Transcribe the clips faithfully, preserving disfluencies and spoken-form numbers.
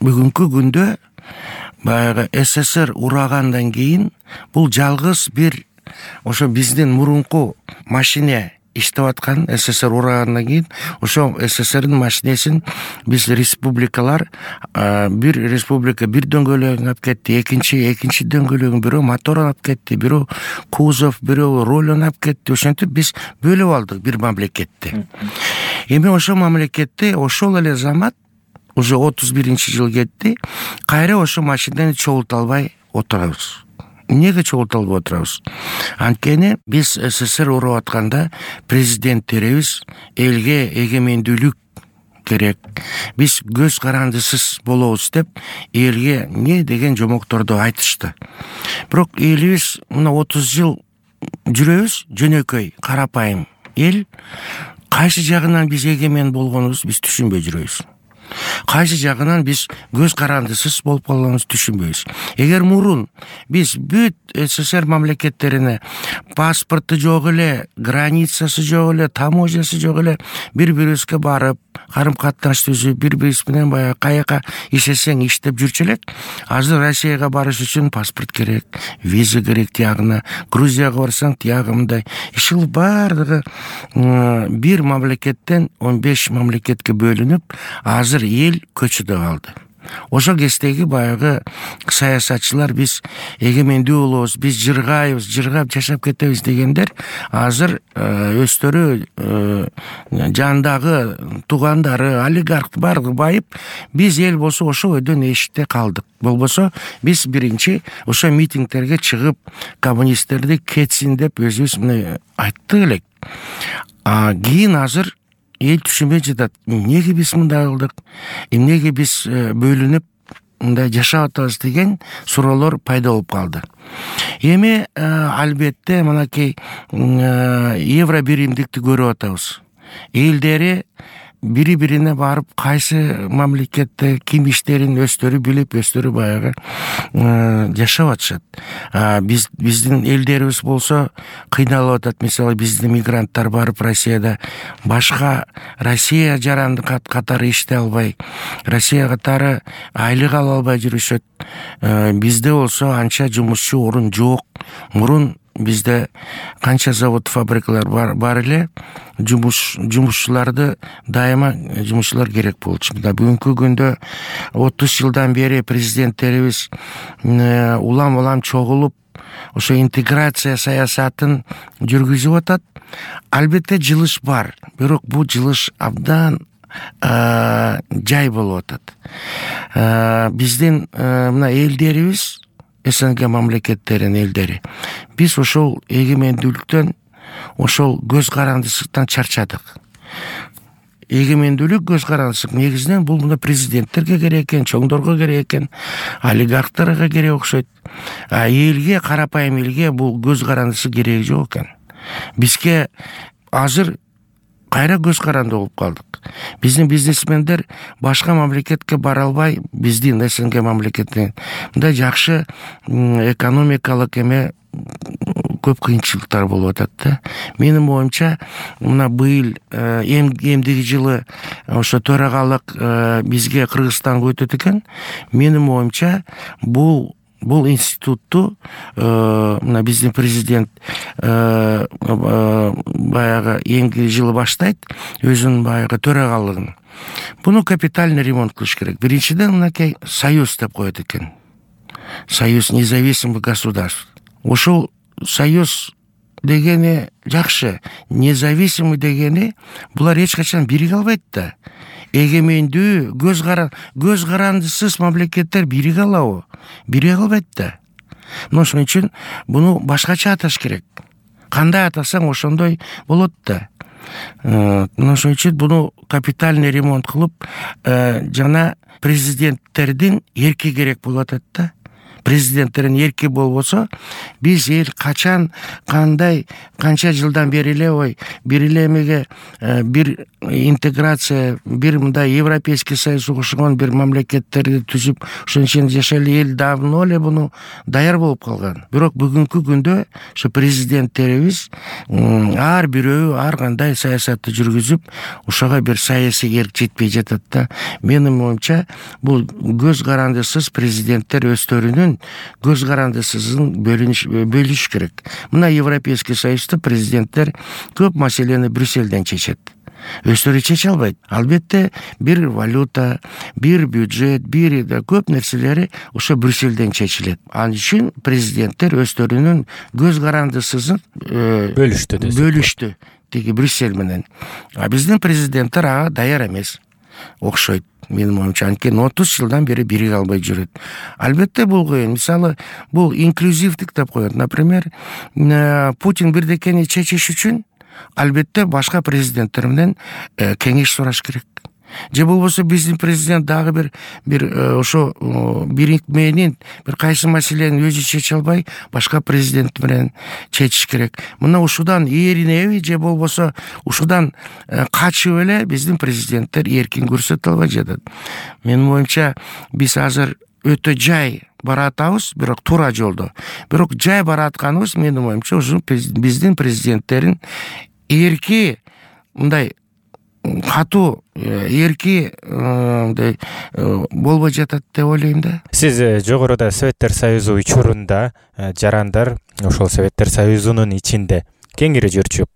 бүгүнкү күндө баягы СССР урагандан кийин бул жалгыз бир ошо биздин мурунку машине иштеп аткан, СССР урагандан кийин ошо СССРдин машинесин биз республикалар, бир республика бир дөңгөлөгүн алып кетти, экинчи экинчи дөңгөлөгүн бирөө моторун алып кетти, бирөө кузов, бирөө рулун алып кетти. Ошентип биз бөлүп алдык бир мамлекетти. Эми ошо мамлекетти ошол эле замат уже отуз биринчи жыл кетти, кайра ошо машинени чогулта албай отурабыз. Эмнеге чогулта албай отурабыз? Анткени биз СССР уруп атканда президенттерибиз элге эгемендүүлүк керек, биз көз карандысыз болобуз деп элге эмне деген жомокторду айтышты. Бирок элибиз мына отуз жыл жүрөбүз, жөнөкөй, карапайым эл. Кайсы жагынан биз эгемен болгонубузду биз түшүнбөй жүрөбүз. Кайсы жагынан биз көз карандысыз болуп калганыбызды түшүнбөйбүз. Эгер мурун биз бүт СССР мамлекеттерине паспорту жок эле, границасы жок эле, таможнясы жок эле бири-бирибизге барып, карым-катнаш түзүп, бири-бирибиз менен баягы каяка иштесең иштеп жүрчү элек. Азыр Россияга барыш үчүн паспорт керек, виза керек тиягына, Грузияга барсаң тиягындай. Ишул бардыгы бир мамлекеттен он беш мамлекетке бөлүнүп, азыр эл көчүдө калды. Ошо кездеги баягы саясатчылар биз эгемендүү болобуз, биз жыргайбыз, жыргап жашап кетебиз дегендер азыр өздөрү жандагы туугандары, олигарх бардыгы байып, биз эл болсо ошо өйдөн эшикте калдык. Болбосо биз биринчи ошо митингтерге чыгып, коммунисттерди кетсин деп өзүбүз мына айттык элек. Кийин азыр эл түшүнбөй жатат. Эмнеге биз мындай кылдык? Эмнеге биз бөлүнүп мындай жашап атабыз деген суроолор пайда болуп калды. Эми албетте мынакей евро биримдикти көрүп атабыз. Элдери бири-бирине барып, кайсы мамлекетте ким иштерин өздөрү билип, өздөрү баягы жашап атышат. Биз биздин элдерибиз болсо кыйналып атат. Мисалы, биздин мигранттар барып Россияда башка Россия жаранды катары иштей албай, Россия катары айлык ала албай жүрүшөт. Бизде болсо анча жумушчу орун жок. Мурун бизде канча завод, фабрикалар бар, бар эле, жумуш жумушчуларды дайыма жумушчулар керек болчу. Мына бүгүнкү күндө отуз жылдан бери президенттерибиз улам-улам чогулуп, ошо интеграция саясатын жүргүзүп атат. Албетте жылыш бар, бирок бул жылыш абдан жай болуп атат. Биздин мына элдерибиз, СНГ мамлекеттеринин элдери, биз ошол эгемендүүлүктөн, ошол көз карандысыздыктан чарчадык. Эгемендүүлүк, көз карандысыздык негизинен бул мына президенттерге керек экен, чоңдорго керек экен, олигархтарга керек окшойт. А элге, карапайым элге бул көз карандысы кереги жок экен. Бизге азыр кайра көз каранды болуп калдык. Биздин бизнесмендер башка мамлекетке бара албай, биздин СНГ мамлекетинен мындай жакшы экономикалык эме көп кыйынчылыктар болуп атат да. Менин оюмча, мына быйыл эмдиги жылы ошо төрагалык бизге Кыргызстанга өтөт экен. Менин оюмча, бул Бул институтту мына биздин президент баягы эмки жылы баштайт, өзүнүн баягы төрагалыгын. Буну капитальный ремонт кылыш керек. Биринчиден мынакей союз деп коет экен. Союз независимых государств. Ошол союз дегени жакшы, независимый дегени булар эч качан бириге албайт да. Эгемендүү, көз кара көз карандысыз мамлекеттер бириге алабы? Бириге албайт да. Мына ошон үчүн буну башкача аташ керек. Кандай атасаң ошондой болот да. Мына ошон үчүн буну капитальный ремонт кылып, жана президенттердин эрки керек болуп атат да. президенттерин эрки болбосо, биз эл качан кандай канча жылдан бери эле ой бир эле эмеге бир интеграция, бир мындай Европейский Союзга кошулгон бир мамлекеттерди түзүп ошон ичинде жашайлы эл давно эле буну даяр болуп калган. Бирок бүгүнкү күндө ошо президенттерибиз ар бирөө ар кандай саясатты жүргүзүп, ошого бир саясий эрк жетпей жатат да. Менин оюмча, бул көз карандысыз президенттер өздөрүнүн көз карандысызын бөлүш керек. Мына Европейский Союзда президенттер көп маселени Брюссельден чечет. Өздөрү чече албайт. Албетте бир валюта, бир бюджет, бир көп нерселери ошо Брюссельден чечилет. Ал үчүн президенттер өздөрүнүн көз карандысызын бөлүштү бөлүштү тиги Брюссель менен. А биздин президенттер ага даяр эмес. Окшойт. Менин оюмча, анткени отуз жылдан бери бириге албай жүрөт. Албетте бул кыйын. Мисалы, бул инклюзивдик деп коет. Например, Путин бирдекени чечиш үчүн албетте башка президенттер менен кеңеш сураш керек. Же болбосо биздин президент дагы бир бир ошо бириктменин бир кайсы маселени өзү чече албай, башка президент менен чечиш керек. Мына ушудан эринеби же болбосо ушудан качып эле биздин президенттер эркин көрсөтө албай жатат. Менин оюмча, биз азыр өтө жай баратабыз, бирок туура жолдо. Бирок жай баратканыбыз, менин оюмча, ушу биздин президенттерин эрки мындай катуу эрки мындай болбой жатат деп ойлойм да. Сиз жогоруда Советтер Союзу учурунда жарандар ошол Советтер Союзунун ичинде кеңири жүрчүп,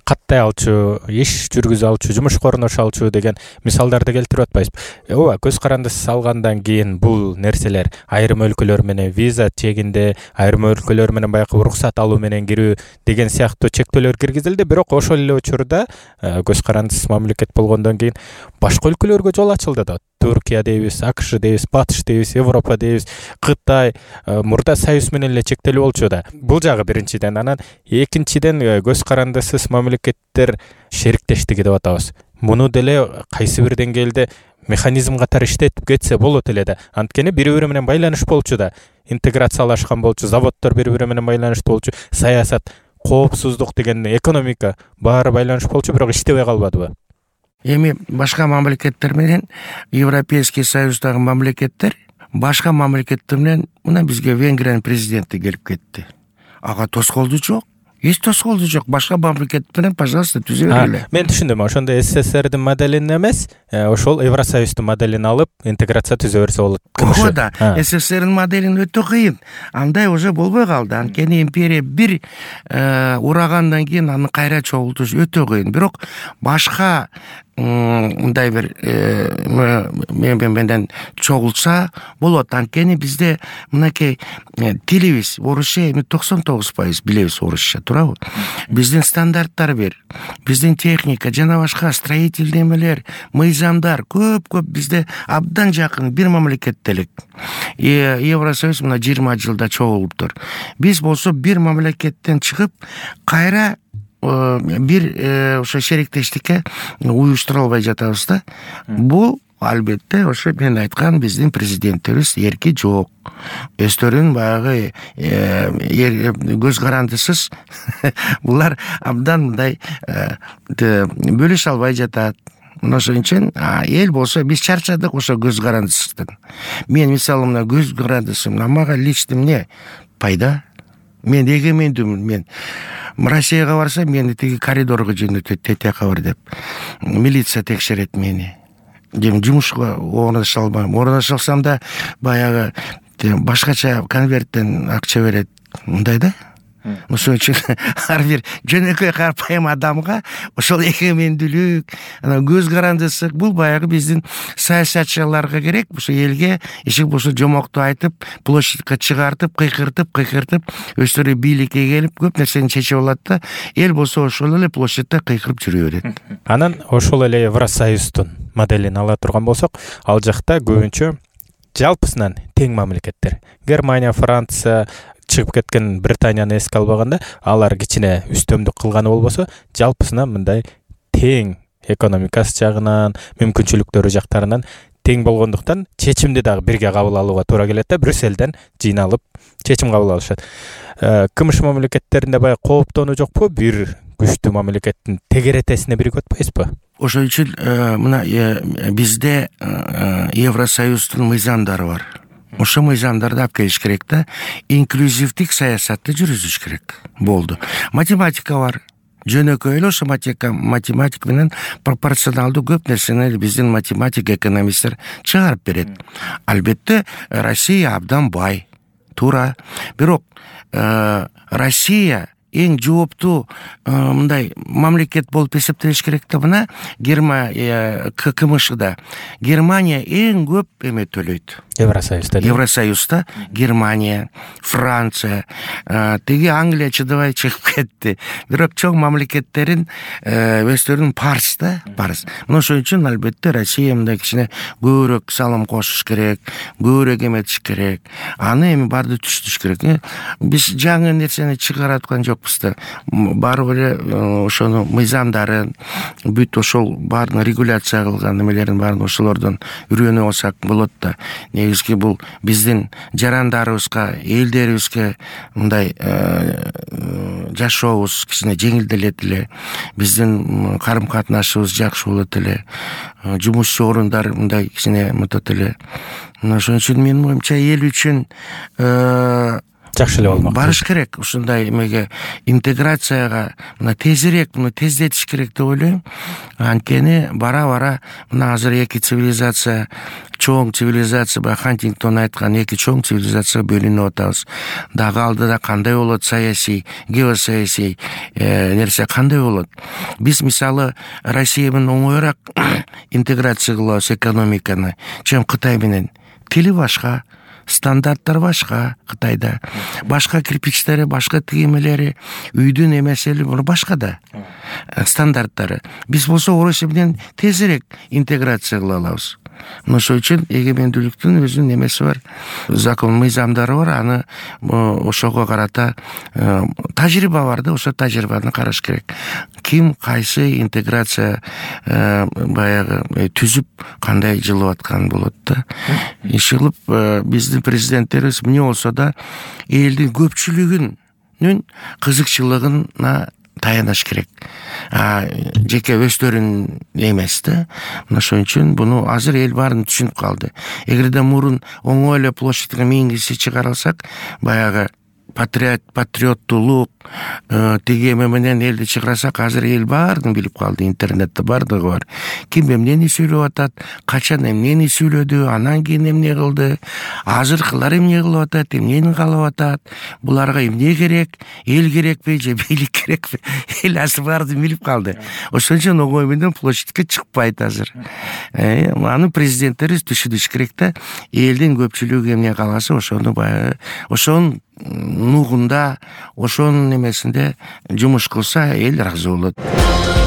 каттай алчу, иш жүргүзө алчу, жумушка орношо алчу деген мисалдарды келтирип атпайсызбы? Ооба, көз карандысыз алгандан кийин бул нерселер айрым өлкөлөр менен виза чегинде, айрым өлкөлөр менен баягы уруксат алуу менен кирүү деген сыяктуу чектөөлөр киргизилди. Бирок ошол эле учурда көз карандысыз мамлекет болгондон кийин башка өлкөлөргө жол ачылды да. Туркия дейбиз, АКШ дейбиз, Батыш дейбиз, Европа дейбиз, Кытай мурда Союз менен эле чектелип болчу да. Бул жагы биринчиден, анан экинчиден көз карандысыз мамлекеттер шериктештиги деп атабыз. Муну деле кайсы бир деңгээлде механизм катары иштетип кетсе болот эле да. Анткени бири-бири менен байланыш болчу да. Интеграциялашкан болчу, заводдор бири-бири менен байланыштуу болчу, саясат, коопсуздук деген, экономика баары байланыш болчу, бирок иштебей калбадыбы? Эми башка мамлекеттер менен Европейский Союздагы мамлекеттер башка мамлекеттер менен мына бизге Венгриянын президенти келип кетти. Ага тоскоолду жок. Эч тоскоолду жок. Башка мамлекет менен, пожалуйста, түзө бергиле. Мен түшүндүм. Ошондо СССРдин моделин эмес, ошол Евросоюздун моделин алып, интеграция түзө берсе болот. Ошо да. СССРдин моделин өтө кыйын. Андай уже болбой калды. Анткени империя бир урагандан кийин аны кайра чогултуш өтө кыйын. Бирок башка мындай бир менен чогултса болот. Анткени бизде мынакей тилибиз орусча эми токсон тогуз пайыз билебиз орусча, туурабы? Биздин стандарттар бир, биздин техника жана башка строительный эмелер, мыйзамдар көп-көп бизде абдан жакын бир мамлекетте элек. Евросоюз мына жыйырма жылда чогулуптур. Биз болсо бир мамлекеттен чыгып, кайра бир ошо шериктештикке уюштура албай жатабыз да. Бул албетте ошо мен айткан биздин президенттерибиз эрки жок. Өздөрүн баягы көз карандысыз булар абдан мындай бөлүшө албай жатат. Ошон үчүн эл болсо биз чарчадык ошо көз карандысыздан. Мен мисалы мына көз карандысым, мага лично эмне пайда? Мен эгемендүүмүн. Мен Россияга барсам, мени тиги коридорго жөнөтөт, тетека бар деп. Милиция текшерет мени. Дем жумушка орноша албайм. Орноша алсам да баягы башкача конверттен акча берет. Мындай да. Ошон үчүн ар бир жөнөкөй карапайым адамга ошол эгемендүүлүк, анан көз карандысыздык бул баягы биздин саясатчыларга керек. Ошо элге иши болсо жомокту айтып, площадька чыгартып, кыйкыртып, кыйкыртып, өздөрү бийликке келип көп нерсени чечип алат да, эл болсо ошол эле площадьда кыйкырып жүрө берет. Анан ошол эле Евросоюздун моделин ала турган болсок, ал жакта көбүнчө жалпысынан тең мамлекеттер. Германия, Франция, чыгып кеткен Британияны эске албаганда, алар кичине үстөмдүк кылганы болбосо, жалпысынан мындай тең экономикасы жагынан, мүмкүнчүлүктөрү жактарынан тең болгондуктан чечимди дагы бирге кабыл алууга туура келет да, Брюссельден жыйналып чечим кабыл алышат. КМШ мамлекеттеринде баягы кооптонуу жокпу? Бир күчтүү мамлекеттин тегеретесине биригип атпайсызбы? Ошол үчүн мына бизде Евросоюздун мыйзамдары бар. Ошо мыйзамдарды алып келиш керек да, инклюзивдик саясатты жүргүзүш керек. Болду. Математика бар. Жөнөкөй эле ошо математик менен пропорционалдуу көп нерсени биздин математик экономисттер чыгарып берет. Албетте Россия абдан бай. Туура. Бирок Россия эң жооптуу мындай мамлекет болуп эсептелиш керек да. Мына Германия КМШда Германия эң көп эме төлөйт. Евросоюзда. Евросоюзда Германия, Франция, теги Англия чыдабай чыгып кетти. Бирок чоң мамлекеттерин өздөрүнүн парс да, парс. Мына ошон үчүн албетте Россия мындай кичине көбүрөөк салым кошуш керек, көбүрөөк эметиш керек. Аны эми барды түшүнүш керек. Биз жаңы нерсени чыгарып аткан жокпуз да. Баары эле ошону мыйзамдарын, бүт ошол баарын регуляция кылган немелерин баарын ошолордон үйрөнүп алсак болот да. Негизги бул биздин жарандарыбызга, элдерибизге мындай жашообуз кичине жеңилделет эле, биздин карым катнашыбыз жакшы болот эле, жумушчу орундар мындай кичине мынтат эле. Ошон үчүн менин оюмча эл үчүн жакшы эле болмок. Барыш керек ушундай эмеге, интеграцияга мына тезирээк муну тездетиш керек деп ойлойм. Анткени бара-бара мына азыр эки цивилизация, чоң цивилизация, баягы Хантингтон айткан эки чоң цивилизацияга бөлүнүп атабыз. Дагы алдыда кандай болот саясий, геосаясий нерсе кандай болот? Биз мисалы Россия менен оңоюраак интеграция кылабыз экономиканы, чем Кытай менен. Тили башка, стандарттар башка Кытайда, башка кирпичтери, башка тигемелери, үйдүн эмесели башка да стандарттары. Биз болсо Орусия менен тезирээк интеграция кыла алабыз. Ошол үчүн эгемендүүлүктүн өзүнүн эмеси бар, закон мыйзамдары бар. Аны ошого карата тажрыйба бар да, ошо тажрыйбаны караш керек. Ким кайсы интеграция баягы түзүп кандай жылып аткан болот да. Иши кылып биздин президенттерибиз эмне болсо да элдин көпчүлүгүнүн кызыкчылыгына таянаш керек. Жеке өздөрүнүн эмес да. Ошон үчүн буну азыр эл баарын түшүнүп калды. Эгерде мурун оңой эле площадьга миң киши чыгара алсак, баягы патриот, патриоттуулук тиги эме менен элди чыгарсак, азыр эл баарын билип калды. Интернетте бардыгы бар. Ким эмнени сүйлөп атат, качан эмнени сүйлөдү, анан кийин эмне кылды, азыркылар эмне кылып атат, эмнени каалап атат, буларга эмне керек, эл керекпи же бийлик керекпи? Эл азыр баарын билип калды. Ошон үчүн оңой менен площадька чыкпайт азыр. Аны президенттерибиз түшүнүш керек да. Элдин көпчүлүгү эмне кааласа, ошону баягы ошонун нугунда, ошонун эмесинде жумуш кылса эл ыраазы болот.